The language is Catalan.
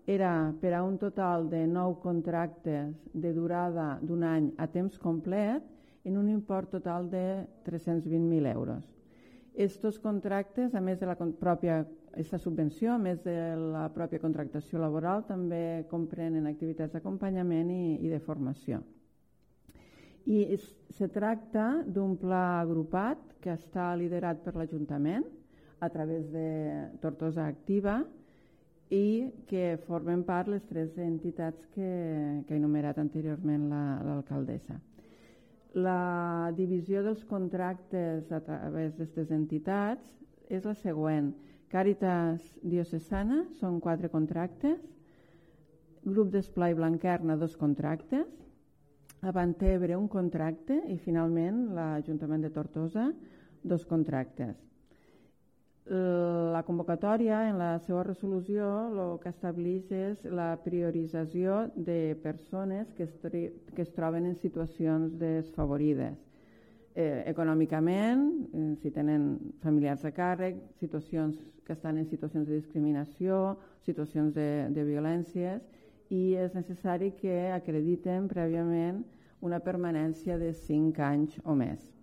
era per a un total de 9 contractes de durada d'un any a temps complet en un import total de 320.000 euros. Estos contractes, a més de aquesta subvenció, a més de la pròpia contractació laboral, també comprenen activitats d'acompanyament i de formació. I se tracta d'un pla agrupat que està liderat per l'Ajuntament a través de Tortosa Activa i que formen part les 3 entitats que ha enumerat anteriorment l'alcaldessa. La divisió dels contractes a través d'aquestes entitats és la següent. Càritas Diocesana són 4 contractes, Grup d'Esplai Blanquerna 2 contractes, Avantebre 1 contracte i finalment l'Ajuntament de Tortosa 2 contractes. La convocatòria, en la seva resolució, el que estableix és la priorització de persones que es troben en situacions desfavorides. Econòmicament, si tenen familiars a càrrec, situacions que estan en situacions de discriminació, situacions de violències, i és necessari que acrediten prèviament una permanència de 5 anys o més.